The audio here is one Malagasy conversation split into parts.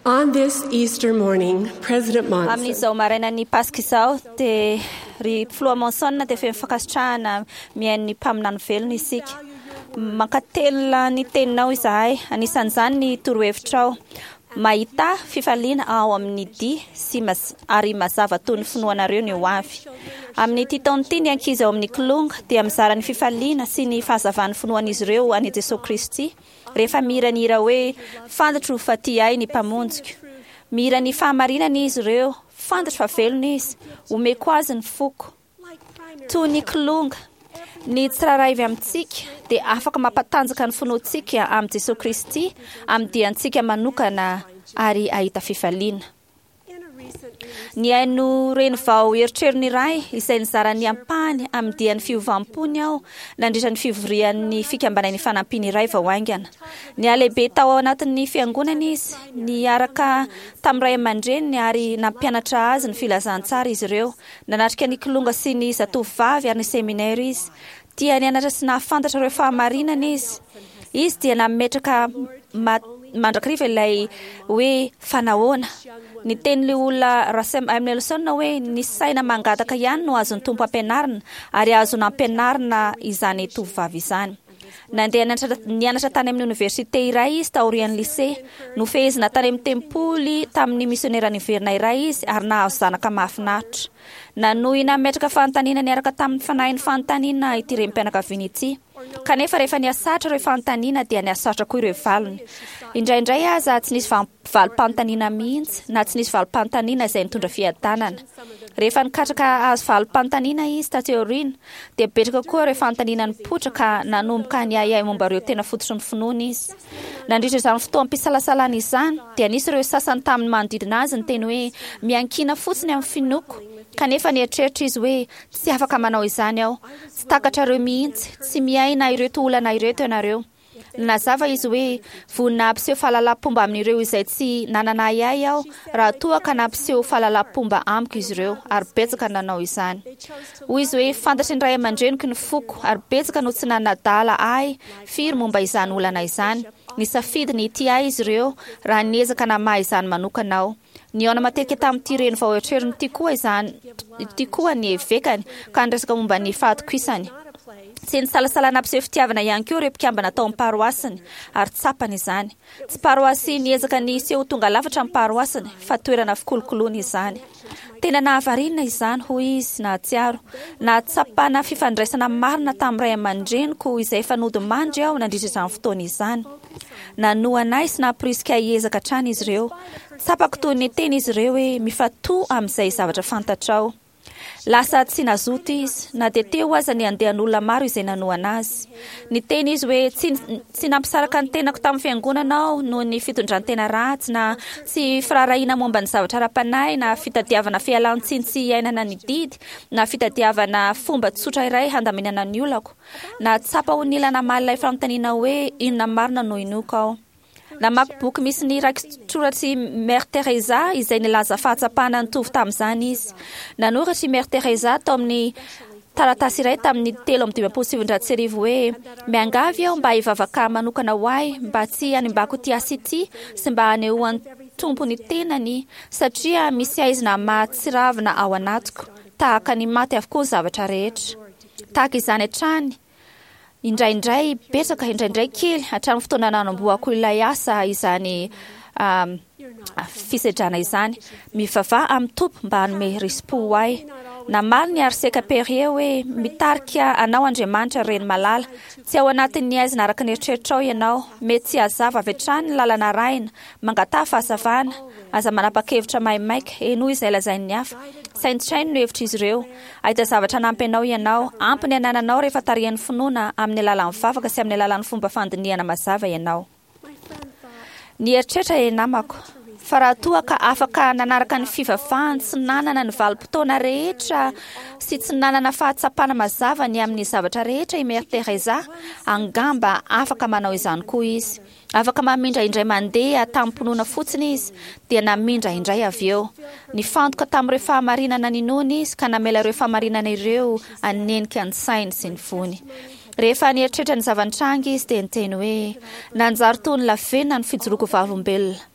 On this Easter morning, President Monson Amin'izao marainan'ny Paska izao, dia ry Filoha Monson dia feno fankasitrahana mihaino ny mpaminany velona isika. Mankatelina ny teninao izahay, anisan'izany ny torohevitrao. Mahità fifaliana ao amin'ny dihy sy ary mazava toy ny finoanareo ny ho avy. Amin'ity taona ity, ny ankizy ao amin'ny Kilonga dia mizara ny fifaliana sy ny fahazavan'ny finoan'izy ireo an'i Jesoa Kristy. Rehefa mihira ny hira hoe Fantatro fa tia ahy ny Mpamonjiko. Mihira ny fahamarinana izy ireo, Fantatro fa velona Izy, omeko Azy ny foko. Toy ny kilonga, ny tsirairay avy amintsika dia afaka mampatanjaka ny finoantsika amin'i Jesoa Kristy amin'ny diantsika manokana ary hahita fifaliana. Nihaino reny vao erotrerony iray izay nizara ny ampahany amin'ny dian'ny fiovam-pony aho nandritra ny fivorian'ny Fikambanan'ny Fanampiana iray vao haingana. Nihalehibe tao anatin'ny fiangonana izy, niaraka tamin'ny ray aman-dreniny ary nampianatra azy ny filazantsara izy ireo. Nanatrika ny Kilonga sy ny Zatovovavy ary ny seminera izy. Tia nianatra sy nahafantatra ireo fahamarinana izy. Izy dia nametraka mandrakariva ilay hoe fa nahoana. Niteny ilay olona Russell M. Nelson hoe ny saina mangataka ihany no azon'ny Tompo ampianarina ary azo nampianarina izany tovovavy izany. Nandeha nianatra tany amin'ny oniversite iray izy taorian'ny lycée. Nofehezina tany amin'ny tempoly tamin'ny misionera niverina iray izy ary nahazo zanaka mahafinaritra. Nanohy nametraka fanontaniana niaraka tamin'ny fanahin'ny fanontaniana ity renim-pianakaviana ity. Kanefa rehefa nihasarotra ireo fanontaniana dia nihasarotra koa ireo valiny. Indraindray aza tsy nisy valim-panontaniana mihitsy na tsy nisy valim-panontaniana izay nitondra fiadanana. Rehefa nikatraka hahazo valim-panontaniana izy taty aoriana dia betsaka koa ireo fanontaniana nipoitra ka nanomboka niahiahy momba ireo tena fototry ny finoany izy. Nandritra izany fotoam-pisalasalana izany, dia nisy ireo sasany tamin'ny manodidina azy niteny hoe, Miankina fotsiny amin'ny finoako. Kanefa nieritreritra izy hoe, Tsy afaka manao izany aho. Tsy takatrareo mihitsy. Tsy miaina ireto olana ireto ianareo. Nanazava izy hoe, Vonona hampiseho fahalalam-pomba amin'ireo izay tsy nanana ahiahy aho, raha toa ka nampiseho fahalalam-pomba amiko izy ireo, ary betsaka no nanao izany. Hoy izy hoe, Fantatry ny ray aman-dreniko ny foko, ary betsaka no tsy nanadala ahy Firy momba izany olana izany? Nisafidy ny hitia ahy izy ireo raha niezaka namaha izany manokana aho. Nihaona matetika tamin'ity reny vao erotrerony ity koa izany ity koa ny evekany ka niresaka momba ny fahatokisany. Tsy nisalasala nampiseho fitiavana ihany koa ireo mpikambana tao amin'ny paroasiny ary tsapany izany. Tsy paroasy niezaka ny hiseho ho tonga lafatra ny paroasiny fa toerana fikolokoloana izany. Tena nahavariana izany, hoy izy nahatsiaro. Nahatsapana fifandraisana marina tamin'ny ray aman-dreniko izay efa nodimandry aho nandritra izany fotoana izany. Nanohana ahy sy namporisika ahy hiezaka hatrany izy ireo. Tsapako toy ny niteny izy ireo hoe, 'Mifantoha amin'izay zavatra fantatrao. Lasa tsy nazoto izy, na dia teo aza ny andian'olona maro izay nanohana azy. Niteny izy hoe, Tsy, tsy nampisaraka ny tenako tamin'ny fiangonana aho noho ny fitondran-tena ratsy, na tsy firaharahiana momba ny zavatra ara-panahy, na fitadiavana fialan-tsiny tsy hiainana ny didy, na fitadiavana fomba tsotra iray handaminana ny olako. Nahatsapa ho nila namaly ilay fanontaniana hoe inona marina no inoako aho. Namaky boky misy ny rakitsoratr'i Mère Teresa izay nilaza fahatsapana nitovy tamin'izany izy. Nanoratra i Mère Teresa tao amin'ny taratasy iray tamin'ny 1953 hoe, Miangavy aho mba hivavaka manokana ho ahy mba tsy hanimbako ity asa ity sy mba hanehoan'ny Tompo ny tenany satria misy haizina mahatsiravina ao anatiko. Tahaka ny maty avokoa ny zavatra rehetra. Tahaka izany hatrany Indraindray betsaka, indraindray kely, hatramin'ny fotoana nanombohako ilay asa izany fisedrana izany. Mivavaha amin'ny Tompo mba hanome risi-po ho ahy. Namaly ny Arseka Perrier hoe, Mitarika anao Andriamanitra, reny malala. Tsy ao anatin'ny haizina araka ny eritreritrao ianao. Mety tsy hazava avy hatrany ny lalana arahina. Mangataha fahazavana. Aza manapa-kevitra maimaika. Henoy izay lazain'ny hafa. Saintsaino ny hevitr'izy ireo. Hahita zavatra hanampy anao ianao. Ampy ny anananao rehefa tarihan'ny finoana amin'ny alalan'ny vavaka sy amin'ny alalan'ny fomba fandinihana mazava ianao. Nieritreritra ilay namako fa raha toa ka afaka nanaraka ny fivavahany tsy nanana ny valim-potoana rehetra sy tsy nanana fahatsapana mazava ny amin'ny zavatra rehetra i Mère Teresa, angamba afaka manao izany koa izy. Afaka mamindra indray mandeha tamim-pinoana fotsiny izy, dia namindra indray avy eo. Nifantoka tamin'ireo fahamarinana ninoany izy ka namela ireo fahamarinana ireo hanenika ny sainy sy ny fony. Rehefa nieritreritra ny zava-nitranga izy dia niteny hoe, Nanjary toy ny lavenona ny fijoroako vavolombelona.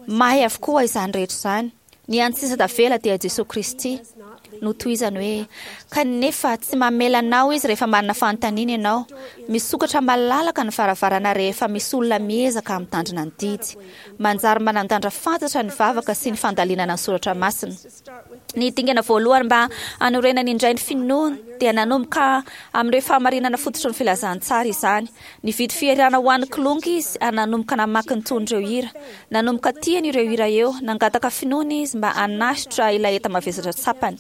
May avokoa izany rehetra izany. Ny hany sisa tavela dia Jesoa Kristy. Notohizany hoe, Kanefa tsy mamela anao Izy rehefa manana fanontaniana ianao. Misokatra malalaka ny varavarana rehefa misy olona miezaka mitandrina ny didy. Manjary manan-danja fantatra ny vavaka sy ny fandalinana ny soratra masina. Ny dingana voalohany mba hanorenany indray ny finoany dia nanomboka amin'ireo fahamarinana fototry ny filazantsara izany. Nividy fihirana ho an'ny kilonga izy ary nanomboka namaky ny tonon'ireo hira. Nanomboka tiany ireo hira eo, nangataka finoana izy mba hanasitra ilay enta-mavesatra tsapany.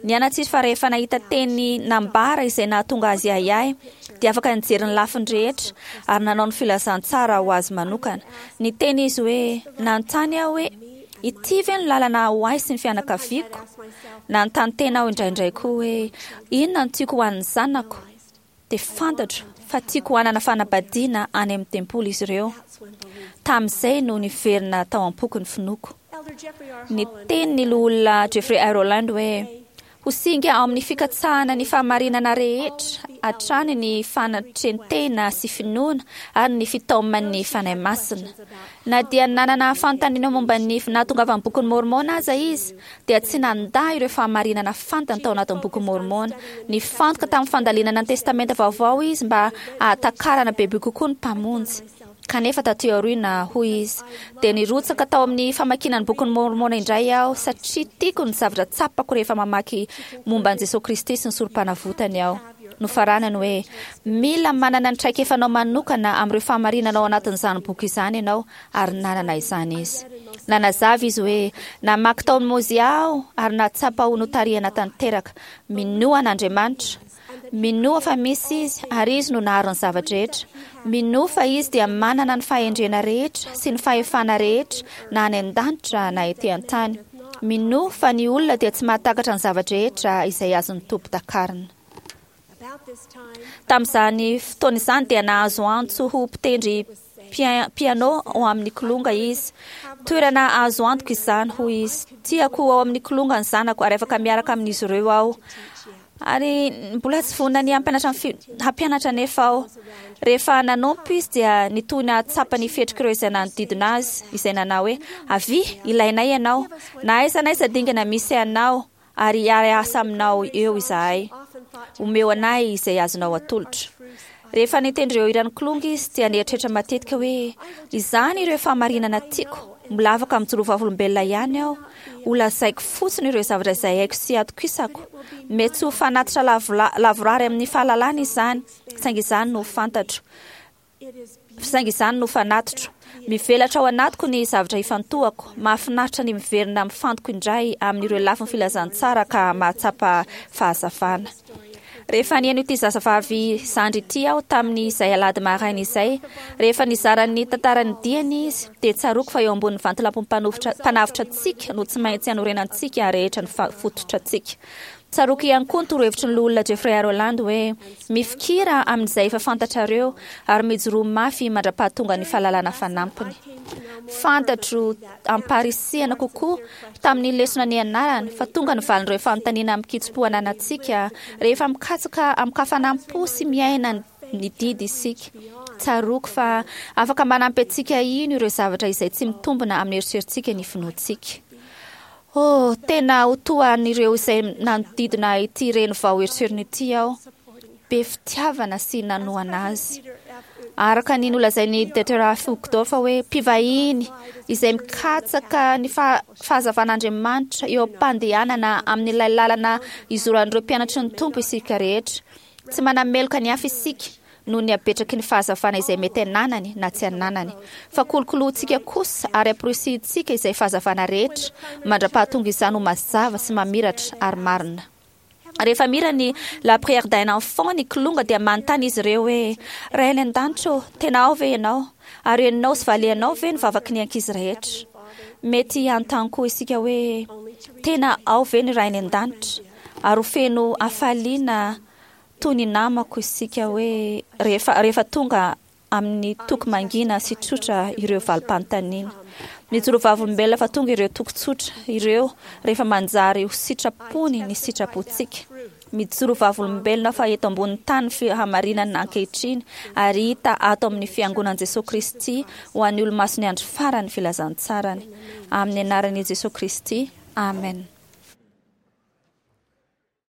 Nianatra izy fa rehefa nahita teny nambara izay nahatonga azy hiahiahy, dia afaka nijery ny lafiny rehetra ary nanao ny filazantsara ho azy manokana. Niteny izy hoe, Nanontany aho hoe, Ity ve no lalana ho ahy sy ny fianakaviako? Nanontany tena aho indraindray koa hoe, Inona no tiako ho an'ny zanako? Dia fantatro fa tiako hanana fanambadiana any amin'ny tempoly izy ireo. Tamin'izay no niverina tao am-poko ny finoako. Niteny ny Loholona Jeffrey I. Rowland hoe, Ho singa ao amin'ny fikatsahana ny fahamarinana rehetra hatrany ny fanatren-tena sy finoana ary ny fitaoman'ny Fanahy Masina. Na dia nanana fanontaniana momba ny nahatongavan'ny Bokin'i Môrmôna aza izy, dia tsy nandà ireo fahamarinana fantany tao anatin'ny Bokin'i Môrmôna. Nifantoka tamin'ny fandalinana ny Testamenta Vaovao izy mba hahatakarana bebe kokoa ny Mpamonjy. Kanefa taty aoriana, hoy izy, dia nirotsaka tao amin'ny famakiana ny Bokin'i Môrmôna indray aho satria tiako ny zavatra tsapako rehefa mamaky momba an'i Jesoa Kristy sy ny Sorompanavotany aho. Nofaranany hoe, Mila manana ny traikefanao manokana amin'ireo fahamarinana ao anatin'izany boky izany ianao, ary nanana izany izy. Nanazava izy hoe, Namaky tao amin'i Môzià aho ary nahatsapa ho notarihana tanteraka. Minoa an'Andriamanitra. Minoa fa misy Izy ary Izy no nahary ny zava-drehetra. Minoa fa Izy dia manana ny fahendrena rehetra sy ny fahefana rehetra na any an-danitra na ety an-tany. Minoa fa ny olona dia tsy mahatakatra ny zava-drehetra izay azon'ny Tompo takarina. Tamin'izany fotoana izany dia nahazo antso ho mpitendry piano ao amin'ny kilonga izy. Toerana azo antoka izany, hoy izy. Tiako ho ao amin'ny kilonga ny zanako ary afaka miaraka amin'izy ireo aho. Ary mbola tsy vonona ny hampianatra ny fi, hampianatra anefa aho. Rehefa nanompo izy dia nitohy nahatsapa ny fihetrik'ireo izay nanodidina azy, izay nanao hoe, Avia, ilainay ianao. Na aiza na aiza dingana misy anao, ary hiara-hiasa aminao eo izahay. Omeo anay izay azonao atolotra. Rehefa nitendry ireo hiran'ny Kilonga izy dia nieritreritra matetika hoe, Izany ireo fahamarinana tiako. Mbola afaka mijoro vavolombelona ihany aho. Ho lazaiko fotsiny ireo zavatra izay haiko sy atokisako. Mety tsy ho fanatitra lavorary amin'ny fahalalana izany, saingy izany no fantatro. Saingy izany no fanatitro. Mivelatra ao anatiko ny zavatra ifantohako. Mahafinaritra ny miverina mifantoka indray amin'ireo lafiny filazantsara ka mahatsapa fahazavana. Rehefa nihaino ity zazavavy zandry ity aho tamin'izay alahady maraina izay, rehefa nizara ny tantaran'ny diany izy, dia tsaroako fa eo ambonin'ny vantolampin'ny Mpanavotra antsika no tsy maintsy hanorenantsika rehetra ny fototrantsika. Tsaroako ihany koa ny torohevitry ny Loholona Jeffrey A. Rowland hoe, Mifikira amin'izay efa fantatrareo ary mijoroa mafy mandra-pahatonga ny fahalalana fanampiny. Fantatro am-paharisihana kokoa tamin'ny lesona nianarany fa tonga ny valin'ireo fanontaniana amin-kitsim-po ananantsika rehefa mikatsaka amin-kafanam-po sy miaina ny didy isika. Tsaroako fa afaka manampy antsika hino ireo zavatra izay tsy mitombina amin'ny eritreritsika ny finoantsika. Oh, tena ho toa an'ireo izay nanodidina ity reny vao eritreriny ity aho. Be fitiavana sy nanohana azy. Araka ny nolazain'i Dieter Uchtdorf hoe mpivahiny izay mikatsaka ny fahazavan'Andriamanitra eo am-pandehanana amin'ilay lalana izoran'ireo mpianatry ny Tompo isika rehetra. Tsy manameloka ny hafa isika noho ny habetraky ny fahazavana izay mety ananany na tsy ananany. Fa kolokolointsika kosa ary amporisihintsika izay fahazavana rehetra mandra-pahatonga izany ho mazava sy mamiratra ary marina. Rehefa mihira ny La prière d'un enfant ny kilonga dia manontany izy ireo hoe, Ray any an-danitra ô, tena ao ve Ianao? Ary henonao sy valianao ve ny vavaky ny ankizy rehetra? Mety hanontany koa isika hoe, Tena ao ve ny Ray any an-danitra? Ary ho feno hafaliana toy ny namako isika hoe rehefa rehefa tonga amin'ny toky mangina sy tsotra ireo valim-panontaniana. Mijoro vavolombelona fa tonga ireo toky tsotra ireo rehefa manjary ho sitrapony ny sitrapontsika. Mijoro vavolombelona fa eto ambonin'ny tany ny fahamarinana ankehitriny ary hita ato amin'ny Fiangonan'i Jesoa Kristy ho an'ny Olomasin'ny Andro Farany ny filazantsarany. Amin'ny anaran'i Jesoa Kristy, amen.